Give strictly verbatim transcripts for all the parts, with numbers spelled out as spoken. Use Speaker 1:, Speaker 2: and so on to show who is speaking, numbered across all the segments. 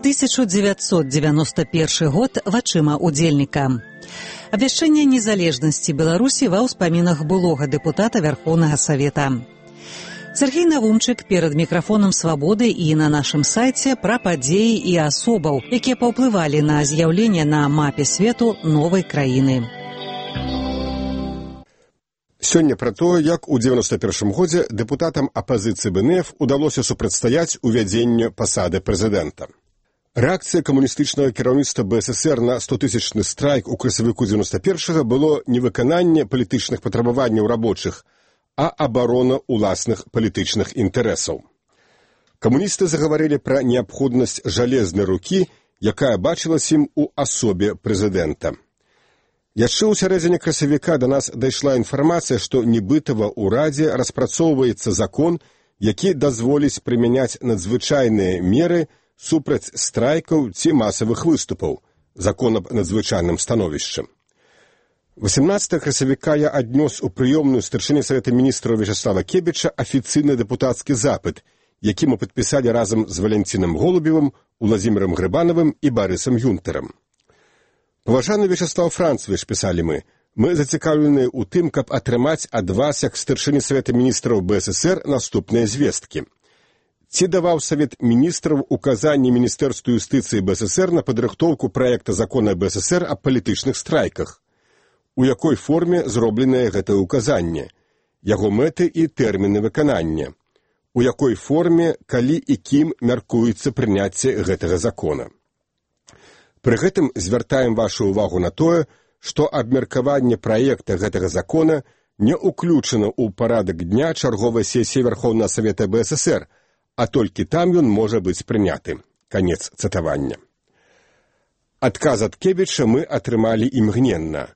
Speaker 1: тысяча девятьсот девяносто первый год вачыма удзельніка. Абвяшчэнне незалежнасці Беларусі ва ўспамінах былога дэпутата Вярхоўнага Савета. Сергей Навумчык перад мікрафонам «Свабоды» і на нашым сайце пра падзеі і асобаў, якія паўплывалі на з'яўленне на мапе свету новай краіны.
Speaker 2: Сёння пра тое, як у дзевяносто першым годзе дэпутатам апазіцыі бэ эн эф удалося супрацьстаяць увядзенню пасады прэзідэнта. Рэакцыя камуністычнага кіраўніцтва бэ эс эсэр на стотысячны страйк у красавіку дзевяносто першага было не выкананне палітычных патрабаванняў рабочых, а абарона ўласных палітычных інтарэсаў. Камуністы загаварылі пра неабходнасць жалезнай рукі, якая бачылася ім у асобе прэзідэнта. Яшчэ ў сярэдзіне красавіка да нас дайшла інфармацыя, што нібыта ва ўрадзе распрацоўваецца закон, які дазволіць прымяняць надзвычайныя меры супраць страйкаў ці масавых выступаў, закон аб надзвычайным становішчы. восемнадцатага красавіка я аднёс у прыёмную старшыні Савета міністраў Вячаслава Кебіча афіцыйны дэпутацкі запыт, які мы падпісалі разам з Валянцінам Голубевым, Уладзімірам Грыбанавым і Барысам Юнтэрам. Паважаны Вячаслав Францевич, пісалі мы, мы зацікаўленыя ў тым, каб атрымаць ад вас, як старшыні Савета міністраў бэ эс эсэр, наступныя звесткі. Ці даваў Савет міністраў указанні Міністэрству юстыцыі бэ эс эсэр на падрыхтоўку праекта закона бэ эс эсэр аб палітычных страйках? У якой форме зробленае гэтае ўказанне? Яго мэты і тэрміны выканання? У якой форме, калі і кім мяркуецца прыняцце гэтага закона? Пры гэтым звяртаем вашу ўвагу на тое, што абмеркаванне праекта гэтага закона не ўключана ў парадак дня чарговай сесіі Вярхоўнага Савета бэ эс эсэр, а толькі там ён можа быць прыняты. Канец цытавання. Адказ ад Кебіча мы атрымалі імгненна.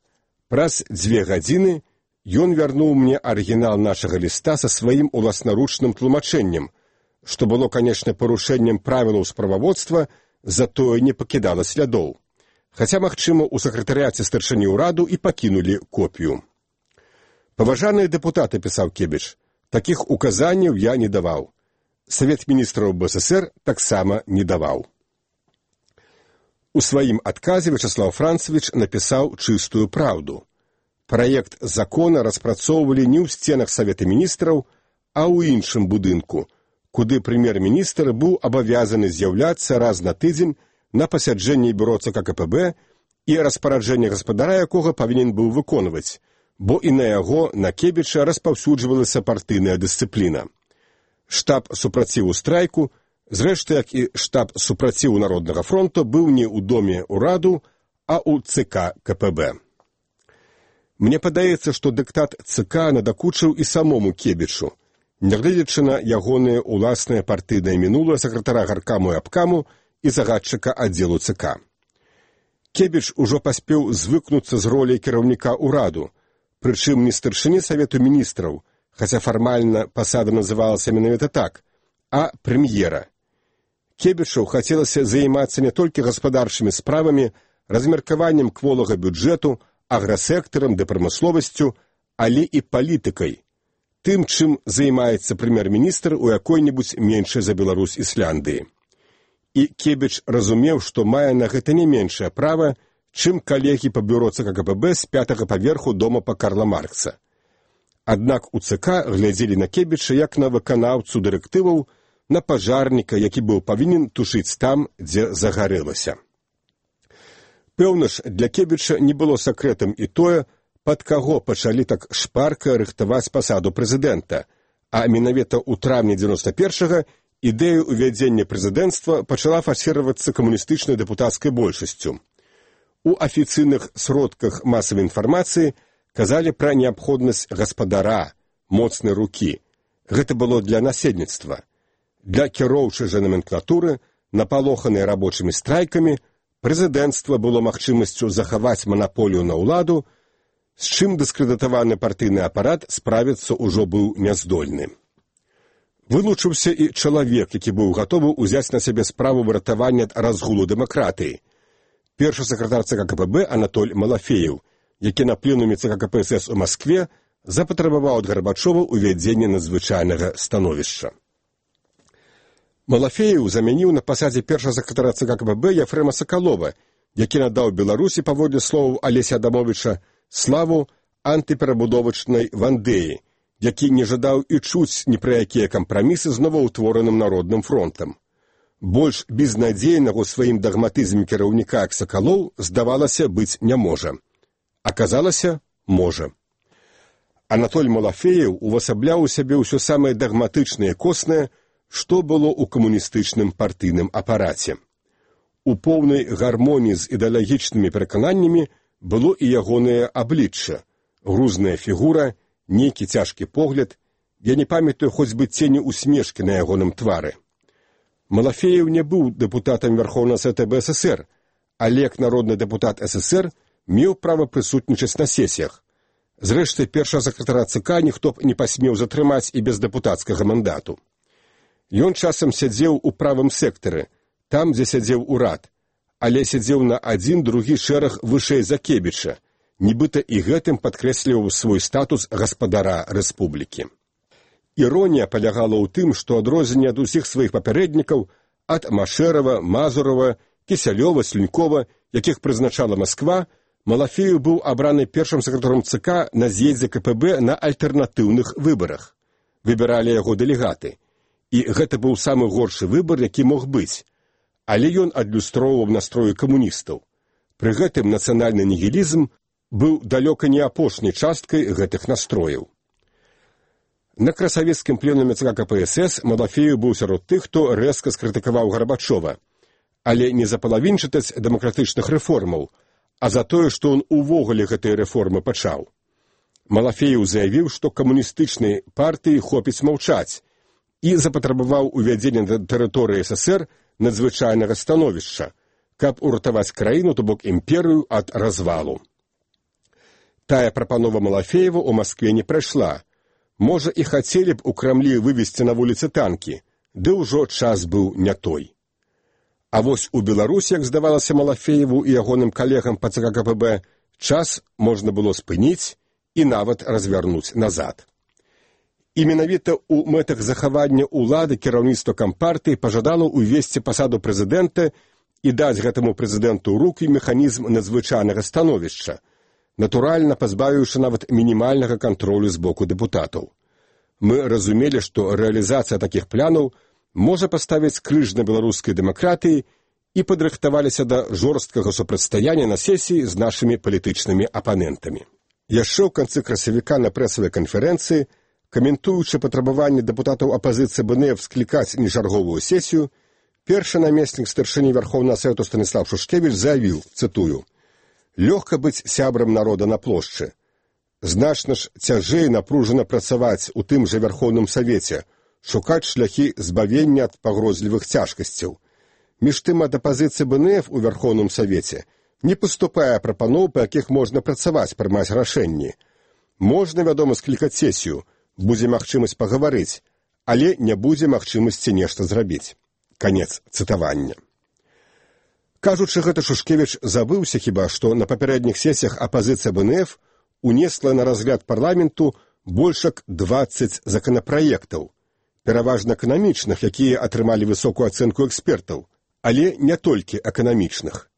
Speaker 2: Праз дзве гадзіны ён вярнуў мне арыгінал нашага ліста са сваім уласнаручным тлумачэннем, што было, канечне, парушэннем правілаў справаводства, затое не пакідала слядоў. Хаця, магчыма, у сакратарыяце старшыні ўраду і пакінулі копію. Паважаныя дэпутаты, пісаў Кебіч, такіх указанняў я не даваў. Савет міністраў бэ эс эсэр таксама не даваў. У сваім адказе Вячаслав Францевич напісаў чыстую праўду. Праект закона распрацоўвалі не ў сценах Савета міністраў, а ў іншым будынку, куды прэм'ер-міністр быў абавязаны з'яўляцца раз на тыдзень на пасяджэнні бюро цэ ка ка пэ бэ і распараджэнне гаспадара якога павінен быў выконваць, бо і на яго, на Кебіча, распаўсюджвалася партыйная дысцыпліна. Штаб супраціву страйку, зрэшты, як і штаб супраціву Народнага фронту, быў не ў доме ўраду, а ў цэ ка ка пэ бэ. Мне падаецца, што дыктат цэ ка надакучыў і самому Кебічу, нягледзячы на ягонае ўласнае партыйнае мінулае сакратара гаркаму і абкаму і загадчыка аддзелу цэ ка. Кебіч ужо паспеў звыкнуцца з роляй кіраўніка ўраду, прычым не старшыні Савету міністраў, хаця фармальна пасада называлася менавіта так, а прэм'ера. Кебічу хацелася займацца не толькі гаспадарчымі справамі, размеркаваннем кволага бюджэту, аграсектарам ды прамысловасцю, але і палітыкай, тым, чым займаецца прэм'ер-міністр у якой-небудзь меншай за Беларусь Ісляндыі. І Кебіч разумеў, што мае на гэта не меншае права, чым калегі па бюро цэ ка ка пэ бэ з пятага паверху дома па Карла Маркса. Аднак у цэ ка глядзелі на Кебіча як на выканаўцу дырэктываў, на пажарніка, які быў павінен тушыць там, дзе загарэлася. Пэўна ж, для Кебіча не было сакрэтам і тое, пад каго пачалі так шпарка рыхтаваць пасаду прэзідэнта, а менавіта ў траўні дзевяносто першага ідэя ўвядзення прэзідэнцтва пачала фасіравацца камуністычнай дэпутацкай большасцю. У афіцыйных сродках масавай інфармацыі казалі пра неабходнасць гаспадара, моцнай рукі. Гэта было для насельніцтва. Для кіроўчай жа наменклатуры, напалоханай рабочымі страйкамі, прэзідэнцтва было магчымасцю захаваць манаполію на ўладу, з чым дыскрэдытаваны партыйны апарат справіцца ўжо быў няздольны. Вылучыўся і чалавек, які быў гатовы ўзяць на сябе справу выратавання ад разгулу дэмакратыі. Першы сакратар цэ ка ка пэ бэ Анатоль Малафеев, які на пленуме цэ ка ка пэ эс эс у Маскве запатрабаваў ад Гарбачова ўвядзення надзвычайнага становішча. Малафеев замяніў на пасадзе першага сакратара ЦК КПБ Ефрема Сакалова, які надаў Беларусі, паводле словаў Алеся Адамовича, славу антыперабудовачнай Вандеі, які не жадаў і чуць ні пра якія кампрамісы з новаўтвораным народным фронтам. Больш безнадзейнага ў сваім дагматызме кіраўніка як Сакалоў, здавалася, быць не можа. Аказалася, можа. Анатоль Малафеев увасабляў у сябе ўсё самае дагматычнае і коснае, што было ў камуністычным партыйным апараце. У поўнай гармоніі з ідэалагічнымі перакананнямі было і ягонае аблічча, грузная фігура, нейкі цяжкі погляд, я не памятаю хоць бы цені усмешкі на ягоным твары. Малафеев не быў дэпутатам Верховнага Савета БССР, але як народны дэпутат СССР меў права прысутнічаць на сесіях. Зрэшты, першага сакратара ЦК ніхто б не пасмеў затрымаць і без дэпутацкага мандату. Ён часам сядзеў у правым сектары, там, дзе сядзеў урад, але сядзеў на адзін другі шэраг вышэй за Кебіча, нібыта і гэтым падкрэсліваў свой статус гаспадара рэспублікі. Іронія палягала ў тым, што адрозненне ад усіх сваіх папярэднікаў, ад Машэрава, Мазурова, Кісялёва, Слюнькова, якіх прызначала Масква, Малафеев быў абраны першым сакратаром ЦК на з'ездзе КПБ на альтэрнатыўных выбарах. Выбіралі яго дэлегаты. І гэта быў самы горшы выбар, які мог быць. Але ён адлюстроўваў настроі камуністаў. Пры гэтым нацыянальны нігілізм быў далёка не апошняй часткай гэтых настрояў. На красавецкім пленуме ЦК КПСС Малафеев быў сярод тых, хто рэзка скрытыкаваў Гарбачова, але не за палавінчатасць дэмакратычных рэформаў, а за тое, што ён увогуле гэтыя рэформы пачаў. Малафеев заявіў, што камуністычнай партыі хопіць маўчаць, і запатрабаваў увядзення на тэрыторыі СССР надзвычайнага становішча, каб уратаваць краіну, то бок імперыю, ад развалу. Тая прапанова Малафеева ў Маскве не прайшла. Можа, і хацелі б у Крамлі вывесці на вуліцы танкі, ды ўжо час быў не той. А вось у Беларусі, як здавалася Малафееву і ягоным калегам па ЦК КПБ, час можна было спыніць і нават развярнуць назад. І менавіта ў мэтах захавання ўлады кіраўніцтва кампартыі пажадала ўвесці пасаду прэзідэнта і даць гэтаму прэзідэнту ў рукі механізм надзвычайнага становішча, натуральна пазбавіўшы нават мінімальнага кантролю з боку дэпутатаў. Мы разумелі, што рэалізацыя такіх планаў можа паставіць крыж на беларускай дэмакратыі і падрыхтаваліся да жорсткага супрацьстаяння на сесіі з нашымі палітычнымі апанентамі. Яшчэ ў канцы красавіка на прэсавай канферэнцыі, каментуючы патрабаванне дэпутатаў апазіцыі БНФ склікаць нечарговую сесію, першы намеснік старшыні Верховнага Савету Станіслав Шушкевіч заявіў, цытую, «Лёгка быць сябрам народа на плошчы. Значна ж цяжэй напружана працаваць у тым жа Верховным Савеце, шукаць шляхі збавення ад пагрозлівых цяжкасцяў. Між тым ад апазіцыі БНФ у Верховным Савеце не паступае прапаноў, па якіх можна працаваць, прымаць рашэнні. Можна, вядома, склікаць сесію, будзе магчымасць пагаварыць, але не будзе магчымасці нешта зрабіць». Канец цытавання. Кажучы гэта, Шушкевіч забыўся хіба, што на папярэдніх сесіях апазіцыя БНФ унесла на разгляд парламенту больш як дваццаць законапраектаў, пераважна эканамічных, якія атрымалі высокую ацэнку экспертаў, але не толькі эканамічных.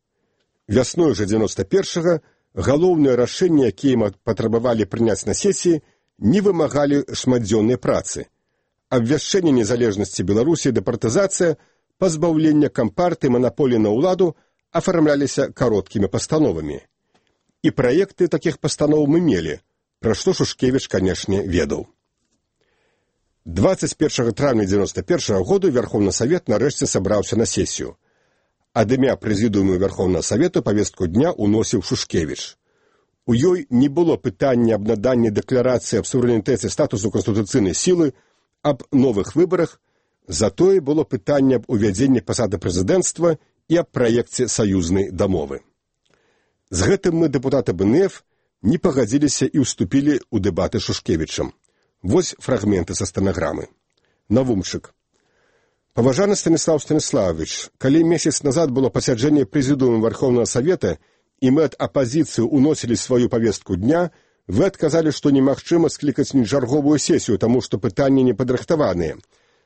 Speaker 2: Вясной жа дзевяноста першага галоўныя рашэнні, якія патрабавалі прыняць на сесіі, не вымагалі шматдзённай працы. Абвяшчэнне незалежнасці Беларусі і дэпартызацыя, пазбаўлення кампартыі манаполіі на ўладу афармляліся кароткімі пастановамі. І праекты такіх пастаноў мы мелі, пра што Шушкевіч, канешне, ведаў. дваццаць першага траўня дзевяноста першага году Верховны Савет нарэшце сабраўся на сесію. Ад імя прэзідыуму Верховнага Савету павестку дня уносіў Шушкевіч. У ёй не было пытання аб наданні дэкларацыі аб суверэнітэце статусу канстытуцыйнай сілы, аб новых выбарах, затое было пытанне аб увядзенні пасады прэзідэнцтва і аб праекце саюзнай дамовы. З гэтым мы, дэпутаты БНФ, не пагадзіліся і ўступілі ў дэбаты з Шушкевічам. Вось фрагменты са стэнаграмы. Навумчык. Паважаны Станіслав Станіславович, калі месяц назад было пасяджэнне прэзідыума Верховнага Савета і мы ад апазіцыі уносілі сваю павестку дня, вы адказалі, што немагчыма склікаць нечарговую сесію, таму што пытанні не падрыхтаваныя.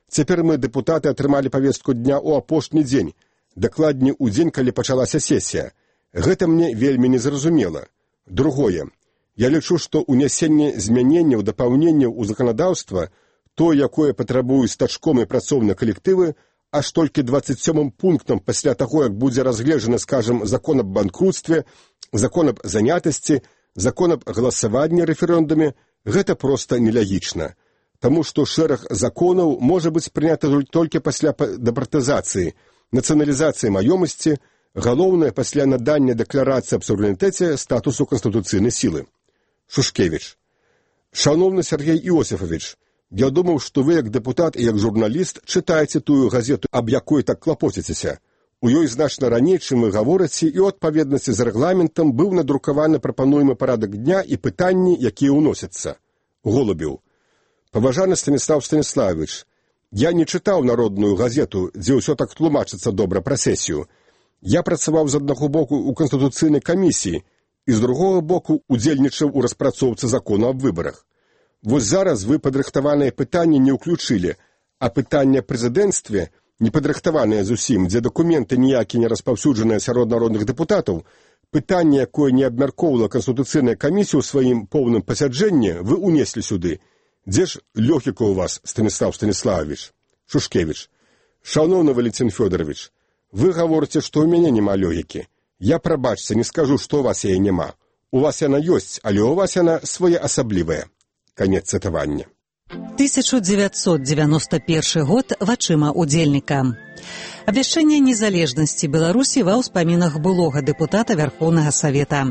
Speaker 2: Цяпер мы, дэпутаты, атрымалі павестку дня ў апошні дзень, дакладней у дзень, калі пачалася сесія. Гэта мне вельмі незразумела. Другое. Я лічу, што ўнясенне змяненняў, дапаўненняў у заканадаўства, то, якое патрабуюць стачком і працоўныя калектывы, аж толькі дваццаць сёмым пунктам пасля таго, як будзе разгледжаны, скажам, закон аб банкрутстве, закон аб занятасці, закон аб галасаванні рэферэндуме, гэта проста нелягічна. Таму што шэраг законаў можа быць прынята толькі пасля дэпартызацыі, нацыяналізацыі маёмасці, галоўнае пасля надання дэкларацыі аб суверэнітэце статусу канстытуцыйнай сілы. Шушкевіч. Шановны Сергей Іосифович, я думаў, што вы, як дэпутат і як журналіст, чытаеце тую газету, аб якой так клапоціцеся. У ёй значна раней, чым вы гаворыце, і ў адпаведнасці з рэгламентам быў надрукаваны прапануемы парадак дня і пытанні, якія ўносяцца. Голубеў. Паважаны Станіслав Станіславович, я не чытаў народную газету, дзе ўсё так тлумачыцца добра пра сесію. Я працаваў з аднаго боку ў Канстытуцыйнай камісіі і з другога боку удзельнічаў у распрацоўцы закону аб выбарах. Вось зараз вы падрыхтаваныя пытанні не ўключылі, а пытанне прэзідэнцтве, не падрыхтаваныя зусім, дзе дакументы ніякі не распаўсюджаныя сярод народных дэпутатаў, пытанне, якое не абмяркоўвала Канстытуцыйная камісія ў сваім поўным пасяджэнні, вы унеслі сюды. Дзе ж лёгіка ў вас, Станіслав Станіславович? Шушкевіч. Шановны Валентин Фёдорович, вы гаворыце, што ў мяне няма лёгікі. Я, прабачце, не скажу, што ў вас яе няма. У вас яна ёсць, але ў вас яна своеасаблівая. Канец цытавання.
Speaker 1: тысяча девятьсот девяносто первый год вачыма удзельніка. Абвяшчэнне незалежнасці Беларусі ва ўспамінах былога дэпутата Верховнага Савета.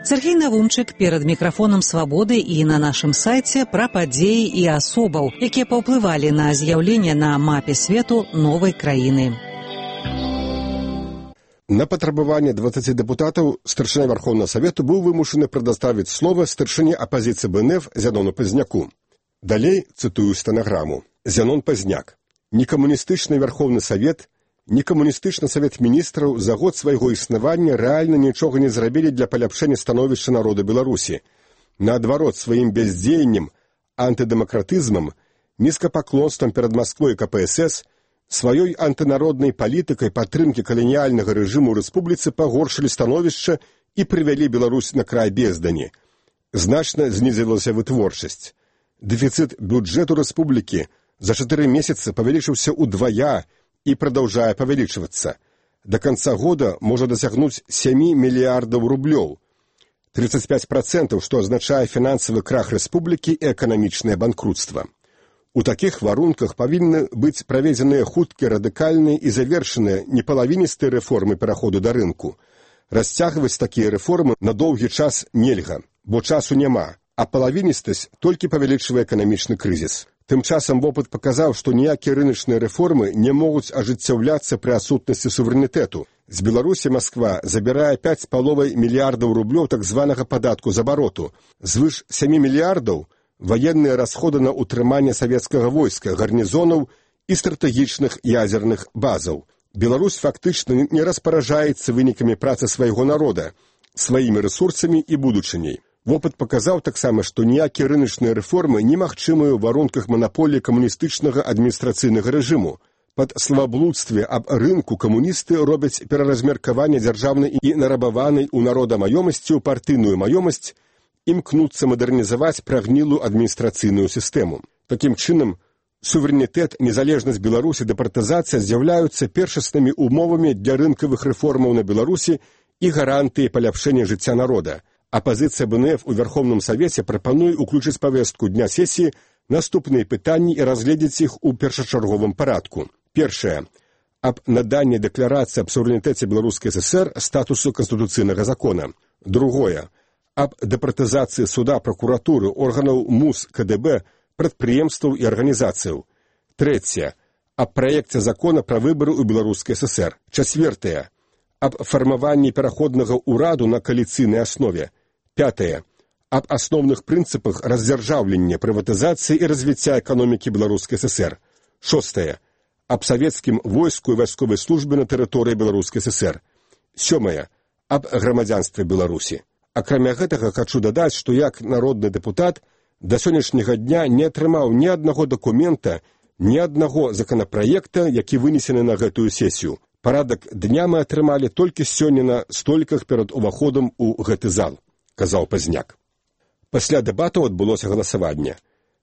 Speaker 1: Сергей Навумчык перад мікрафонам «Свабоды» і на нашым сайце пра падзеі і асобаў, якія паўплывалі на з'яўленне на мапе свету новай краіны.
Speaker 2: На патрабаванне дваццаці дэпутатаў старшыня Верховнага Савету быў вымушаны прадставіць слова старшыні апазіцыі БНФ Зянону Пазняку. Далей цытую стэнаграму. Зянон Пазняк. Некамуністычны Верховны Савет, некамуністычны Савет Міністраў за год свайго існавання рэальна нічога не зрабілі для паляпшэння становішча народа Беларусі. Наадварот, сваім бяздзеяннем, антыдэмакратызмам, нізкапаклонствам перад Масквой і ка пэ эс эс, сваёй антынароднай палітыкай падтрымкі каланіяльнага рэжыму ў рэспубліцы пагоршылі становішча і прывялі Беларусь на край бездані. Значна знізілася вытворчасць. Дэфіцыт бюджэту рэспублікі за чатыры месяцы павялічыўся ўдвая і прадаўжае павялічвацца. Да канца года можа дасягнуць сем мільярдаў рублёў. тридцать пять процентов, што азначае фінансавы крах рэспублікі і эканамічнае банкрутства. У такіх варунках павінны быць праведзеныя хуткія, радыкальныя і завершаныя непалавіністыя рэформы пераходу да рынку. Расцягваць такія рэформы на доўгі час нельга, бо часу няма, а палавіністасць толькі павялічвае эканамічны крызіс. Тым часам вопыт паказаў, што ніякія рыначныя рэформы не могуць ажыццяўляцца пры адсутнасці суверэнітэту. З Беларусі Масква забірае пяць з паловай мільярдаў рублёў так званага падатку з абароту. Звыш сем мільярдаў ваенныя расходы на ўтрыманне савецкага войска, гарнізонаў і стратэгічных ядзерных базаў. Беларусь фактычна не распаражаецца вынікамі працы свайго народа, сваімі рэсурсамі і будучыняй. Вопыт паказаў таксама, што ніякія рыначныя рэформы немагчымыя ў варунках манаполіі камуністычнага адміністрацыйнага рэжыму. Пад славаблудстве аб рынку камуністы робяць пераразмеркаванне дзяржаўнай і нарабаванай у народа маёмасці ў партыйную маёмасць, імкнуцца мадэрнізаваць прагнілую адміністрацыйную сістэму. Такім чынам, суверэнітэт, незалежнасць Беларусі, дэпартызацыя з'яўляюцца першаснымі умовамі для рынкавых рэформаў на Беларусі і гарантыі паляпшэння жыцця народа. Апазіцыя БНФ у Верховным Савеце прапануе ўключыць павестку дня сесіі наступныя пытанні і разгледзець іх у першачарговым парадку. Першае. Аб наданні дэкларацыі аб суверэнітэце Беларускай ССР статусу канстытуцыйнага закона. Другое. Аб дэпартызацыі суда, пракуратуры, органаў МУС, КДБ, прадпрыемстваў і арганізацыяў. Трэцяе. Аб праекце закона пра выбары ў Беларускай ССР. Чацвёртае. Аб фармаванні пераходнага ўраду на кааліцыйнай аснове. Пятае. Аб асноўных прынцыпах раздзяржаўлення, прыватызацыі і развіцця эканомікі Беларускай ССР. Шостае. Аб савецкім войску і вайсковай службе на тэрыторыі Беларускай ССР. Сёмае. Аб грамадзянстве Беларусі. Акрамя гэтага, хачу дадаць, што як народны дэпутат да сённяшняга дня не атрымаў ні аднаго дакумента, Ні аднаго законапраекта, які вынесены на гэтую сесію. Парадак дня мы атрымалі толькі сёння на століках перад уваходам у гэты зал, казаў Пазняк. Пасля дэбатаў адбылося галасаванне.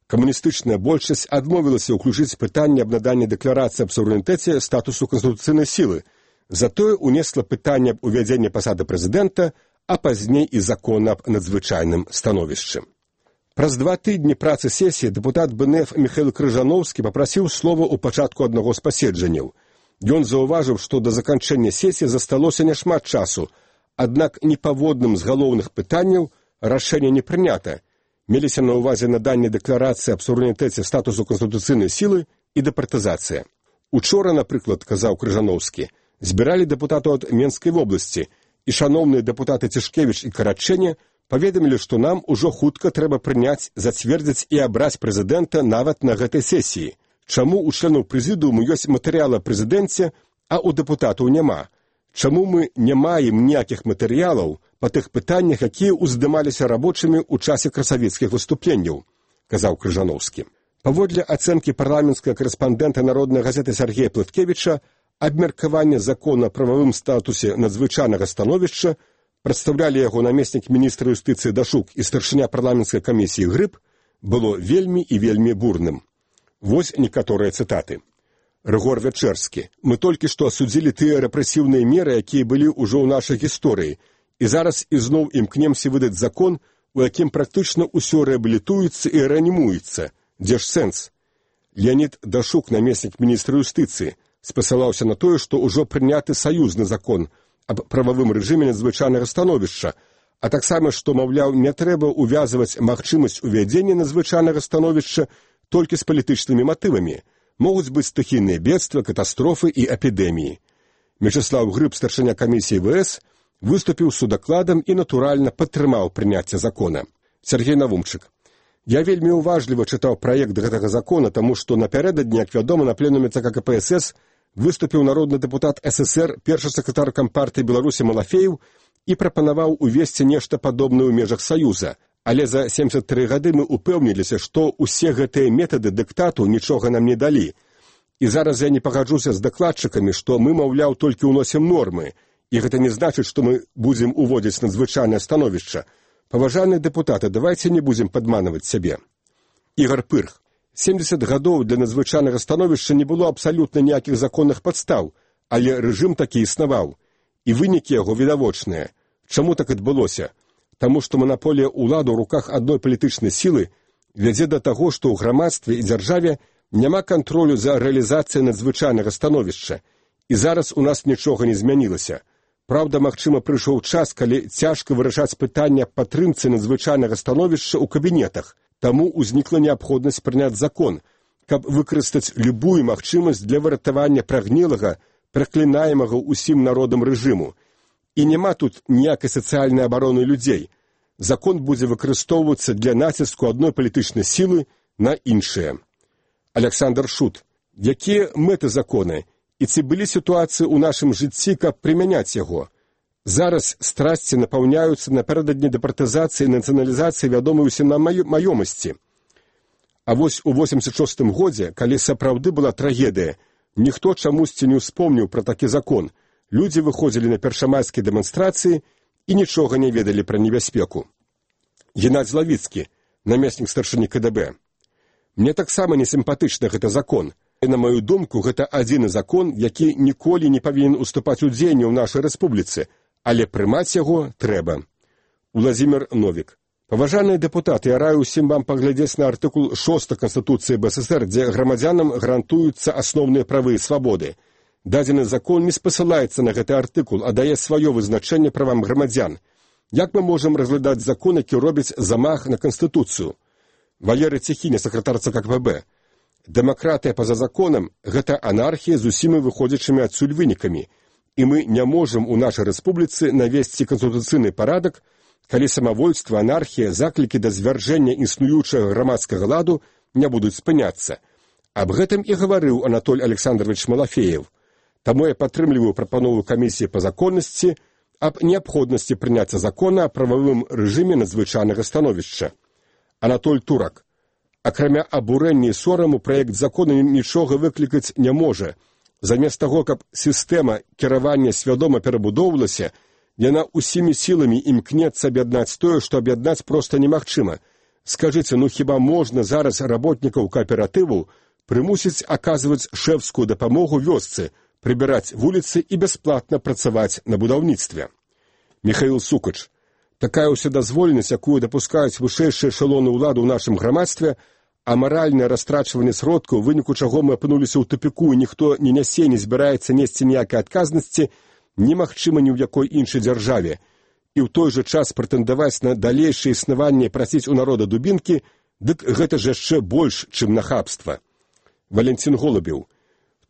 Speaker 2: Камуністычная большасць адмовілася ўключыць пытанне аб наданні дэкларацыі аб суверэнітэце статусу канстытуцыйнай сілы, затое унесла пытанне аб увядзенні пасады прэзідэнта, а пазней і закон аб надзвычайным становішчы. Праз два тыдні працы сесіі дэпутат БНФ Міхаіл Крыжановскі папрасіў слова ў пачатку аднаго з паседжанняў. Ён заўважыў, што да заканчэння сесіі засталося няшмат часу, аднак непаводным з галоўных пытанняў рашэнне не прынята. Меліся на ўвазе наданне дэкларацыі аб суверэнітэце статусу канстытуцыйнай сілы і дэпартызацыя. Учора, напрыклад, казаў Крыжановскі, збіралі дэпутатаў ад Менскай вобласці, і шаноўныя дэпутаты Цішкевіч і Карачэне паведамілі, што нам ужо хутка трэба прыняць, зацвердзіць і абраць прэзідэнта нават на гэтай сесіі. Чаму ў членаў прэзідыуму ёсць матэрыял аб прэзідэнце, а ў дэпутатаў няма? Чаму мы не маем ніякіх матэрыялаў па тых пытаннях, якія ўздымаліся рабочымі ў часе красавіцкіх выступленняў, казаў Крыжановскі. Паводле ацэнкі парламенцкага карэспандэнта народнай газеты Сергея Плыткевіча, абмеркаванне закона о прававым статусе надзвычайнага становішча прадстаўлялі яго намеснік міністра юстыцыі Дашук і старшыня парламенцкай камісіі Грыб, было вельмі і вельмі бурным. Вось некаторыя цытаты. Рыгор Вячэрскі. Мы толькі што асудзілі тыя рэпрэсіўныя меры, якія былі ўжо ў нашай гісторыі, і зараз ізноў імкнемся выдаць закон, у якім практычна ўсё рэабілітуецца і рэанімуецца. Дзе ж сэнс? Леонід Дашук, намеснік міністра юстыцыі, спасылаўся на тое, што ўжо прыняты саюзны закон аб прававым рэжыме надзвычайнага становішча, а таксама, што, маўляў, не трэба увязваць магчымасць увядзення надзвычайнага становішча толькі з палітычнымі матывамі. Могуць быць стыхійныя бедствы, катастрофы і эпідэміі. Мячеслав Грыб, старшыня камісіі ВС, выступіў судакладам і, натуральна, падтрымаў прыняцце закона. Сергей Навумчык. Я вельмі уважліва чытаў праект гэтага закона, таму што напярэдадні, як вядома, на пленуме ЦК КПСС выступіў народны дэпутат ССР, першы сакратар Кампартыі Беларусі Малафеев і прапанаваў увесці нешта падобнае ў межах Саюза. Але за семдзесят тры гады мы упэўніліся, што ўсе гэтыя метады дыктату нічога нам не далі. І зараз я не пагаджуся з дакладчыкамі, што мы, маўляў, толькі ўносім нормы, і гэта не значыць, што мы будзем уводзіць надзвычайнае становішча. Паважаныя дэпутаты, давайце не будзем падманваць сябе. Ігор Пырх. семдзесят гадоў для надзвычайнага становішча не было абсалютна ніякіх законных падстаў, але рэжым такі існаваў. І вынікі яго відавочныя. Чаму так адбылося? Таму што манаполія ўлады ў руках адной палітычнай сілы вядзе да таго, што ў грамадстве і дзяржаве няма кантролю за рэалізацыяй надзвычайнага становішча. І зараз у нас нічога не змянілася. Праўда, магчыма, прыйшоў час, калі цяжка вырашаць пытанне аб падтрымцы надзвычайнага становішча ў кабінетах. Таму ўзнікла неабходнасць прыняць закон, каб выкарыстаць любую магчымасць для выратавання прагнілага, праклінаемага ўсім народам рэжыму. І няма тут ніякай сацыяльнай абароны людзей. Закон будзе выкарыстоўвацца для націску адной палітычнай сілы на іншыя. Александр Шут. Якія мэты закона? І ці былі сітуацыі ў нашым жыцці, каб прымяняць яго? Зараз страсці напаўняюцца напярэдадні дэпартызацыі і нацыяналізацыі вядомай усім нам маёмасці. А вось у восемьдесят шостым годзе, калі сапраўды была трагедыя, ніхто чамусьці не ўспомніў пра такі закон. Людзі выходзілі на першамайскія дэманстрацыі і нічога не ведалі пра небяспеку. Геннадзь Лавіцкі, намеснік старшыні КДБ. Мне таксама несімпатычны гэты закон. І, на маю думку, гэта адзіны закон, які ніколі не павінен уступаць у дзеянне ў нашай рэспубліцы, але прымаць яго трэба. Владзімир Новік. Паважаныя дэпутаты, я раю ўсім вам паглядзець на артыкул шосты Канстытуцыі БССР, дзе грамадзянам гарантуюцца асноўныя правы і свабоды. Дадзены закон не спасылаецца на гэты артыкул, а дае сваё вызначэнне правам грамадзян. Як мы можам разглядаць закон, які робіць замах на Канстытуцыю? Валерый Цехіня, сакратар ЦК КПБ. Дэмакратыя па-за законам – гэта анархія з усімі выходзячымі адсюль вынікамі. І мы не можам у нашай рэспубліцы навесці канстытуцыйны парадак, калі самавольства, анархія, заклікі да звяржэння існуючага грамадскага ладу не будуць спыняцца. Аб гэтым і гаварыў Анатоль Александрович Малафеев. Таму я падтрымліваю прапанову камісіі па законнасці аб неабходнасці прыняцця закона о прававым рэжыме надзвычайнага становішча. Анатоль Турак. Акрамя абурэння і сораму, праект закона нічога выклікаць не можа. Замест таго, каб сістэма кіравання свядома перабудоўвалася, яна ўсімі сіламі імкнецца аб'яднаць тое, што аб'яднаць проста немагчыма. Скажыце, ну хіба можна зараз работнікаў кааператыву прымусіць аказваць шэфскую дапамогу вёсцы, прыбіраць вуліцы і бясплатна працаваць на будаўніцтве? Міхаіл Сукач. Такая ўседазволенасць, якую дапускаюць вышэйшыя эшалоны ўлады ў нашым грамадстве, а маральнае растрачванне сродкаў, у выніку чаго мы апынуліся ў тупіку і ніхто не нясе, не збіраецца несці ніякай адказнасці, немагчыма ні ў якой іншай дзяржаве. І ў той жа час прэтэндаваць на далейшае існаванне і прасіць у народа дубінкі, дык гэта ж яшчэ больш, чым нахабства. Валентин Голубеў.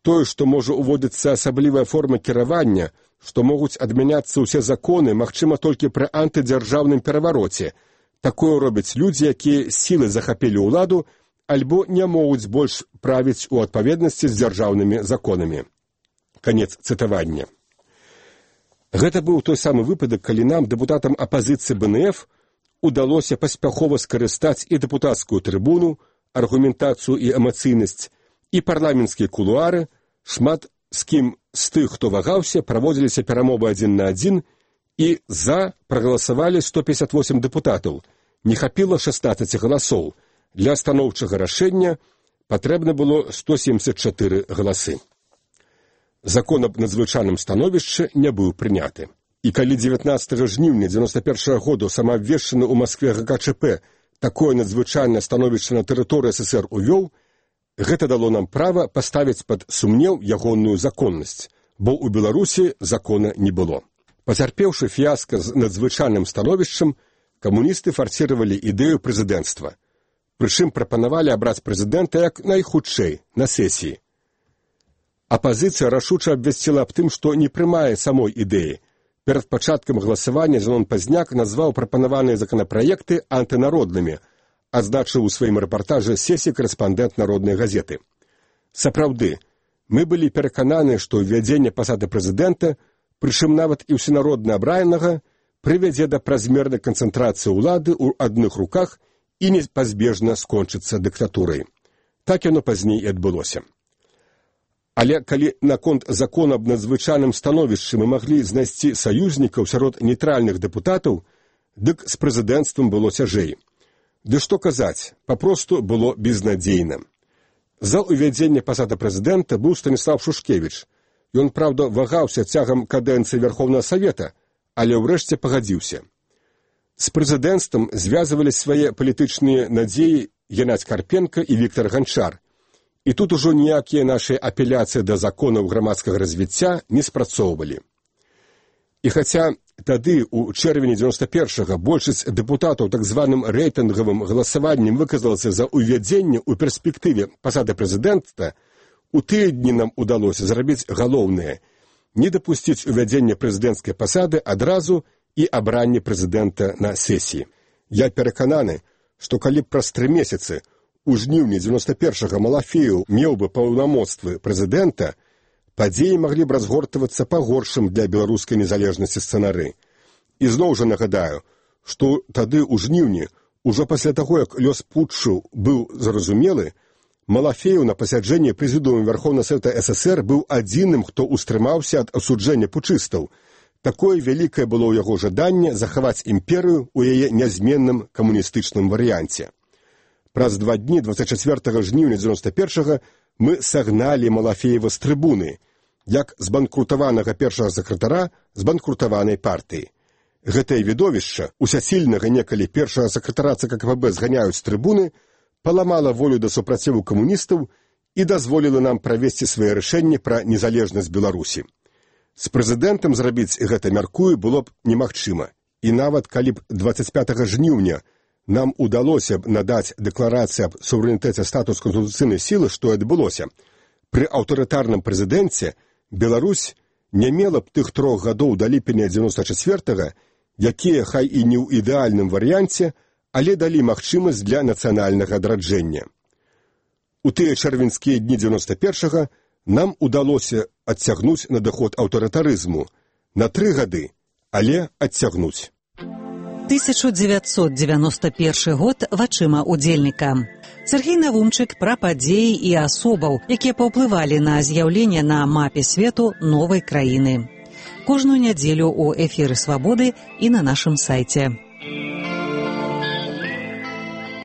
Speaker 2: Тое, што можа уводзіцца асаблівая форма кіравання, што могуць адмяняцца ўсе законы, магчыма толькі пры антыдзяржаўным перавароце. Такое робяць людзі, якія сілай захапілі ўладу, альбо не могуць больш правіць у адпаведнасці з дзяржаўнымі законамі. Канец цытавання. Гэта быў той самы выпадак, калі нам, дэпутатам апазіцыі бэ эн эф, удалося паспяхова скарыстаць і дэпутацкую трыбуну, аргументацыю і эмацыйнасць, і парламенцкія кулуары, шмат з кім з тых, хто вагаўся, праводзіліся перамовы адзін на адзін, і за прагаласавалі сто пятьдесят восемь дэпутатаў. Не хапіла шаснаццаць галасоў. Для станоўчага рашэння патрэбна было сто семьдесят чатыры галасы. Закон аб надзвычайным становішчы не быў прыняты. І калі дзевятнаццатага жніўня дзевяносто першага году самаабвешчаны ў Маскве гэ ка чэ пэ такое надзвычайнае становішча на тэрыторыі эс эс эр увёў, гэта дало нам права паставіць пад сумнеў ягоную законнасць, бо ў Беларусі закона не было. Пацярпеўшы фіяска з надзвычайным становішчам, камуністы фарсіравалі ідэю прэзідэнцтва. Прычым прапанавалі абраць прэзідэнта як найхутчэй, на сесіі. Апазіцыя рашуча абвясціла аб тым, што не прымае самой ідэі. Перад пачаткам галасавання Зенон Пазняк назваў прапанаваныя законапраекты антынароднымі, адзначыў у сваім рэпартажы сесіі корэспандэнт народнай газеты. Сапраўды, мы былі перакананы, што ўвядзенне пасады прэзідэнта, прычым нават і ўсенародна абранага, прывядзе да празмернай канцэнтрацыі ўлады ў адных руках і непазбежна скончыцца дыктатурай. Так яно пазней і адбылося. Але калі наконт закона аб надзвычайным становішчы мы маглі знайсці саюзнікаў сярод нейтральных дэпутатаў, дык з прэзідэнцтвам было цяжэй. Ды што казаць, папросту было безнадзейна. За ўвядзенне пасады прэзідэнта быў Станіслав Шушкевіч. Ён, праўда, вагаўся цягам кадэнцыі Верховнага Савета, але ўрэшце пагадзіўся. З прэзідэнцтвам звязвалі свае палітычныя надзеі Геннадзь Карпенка і Віктор Ганчар. І тут ужо ніякія нашыя апеляцыі да законаў грамадскага развіцця не спрацоўвалі. І хаця тады, у чэрвені дзевяносто першага, большасць дэпутатаў так званым рэйтынгавым галасаваннем выказалася за ўвядзенне ў перспектыве пасады прэзідэнта, у тыя дні нам удалося зрабіць галоўнае – не дапусціць увядзення прэзідэнцкай пасады адразу і абранне прэзідэнта на сесіі. Я перакананы, што калі б праз тры месяцы у жніўні дзевяносто першага Малафеў меў бы паўнамоцтвы прэзідэнта, падзеі маглі б разгортвацца па горшым для беларускай незалежнасці сцэнары. І зноў жа нагадаю, што тады ў жніўні, ужо пасля таго, як лёс путчу быў зразумелы, Малафеў на пасяджэнні прэзідыума Верховнага Савета эс эс эр быў адзіным, хто ўстрымаўся ад асуджэння путчыстаў. Такое вялікае было ў яго жаданне захаваць імперыю ў яе нязменным камуністычным варыянце. Праз два дні двадцать чацвёртага жніўня дзевяносто першага мы сагналі Малафеева з трыбуны, як збанкрутаванага першага сакратара збанкрутаванай партыі. Гэтае відовішча, усясільнага некалі першага сакратара цэ ка ка пэ бэ зганяюць з трыбуны, паламала волю да супраціву камуністаў і дазволіла нам правесці свае рашэнні пра незалежнасць Беларусі. З прэзідэнтам зрабіць гэта, мяркую, было б немагчыма. І нават калі б двадцать пятага жніўня нам удалося б надаць дэкларацыю аб суверэнітэце статус канстытуцыйнай сілы, што адбылося. Пры аўтарытарным прэзідэнце Беларусь не мела б тых трох гадоў да ліпеня дзевяносто чацвёртага, якія, хай і не ў ідэальным варыянце, але далі магчымасць для нацыянальнага адраджэння. У тыя чэрвеньскія дні дзевяносто першага нам удалося адцягнуць надыход аўтарытарызму на тры гады, але адцягнуць.
Speaker 1: тысяча девятьсот девяносто первый год вачыма удзельніка. Сергей Навумчык пра падзеі і асобаў, якія паўплывалі на з'яўленне на мапе свету новай краіны. Кожную нядзелю ў эфіры «Свабоды» і на нашым сайце.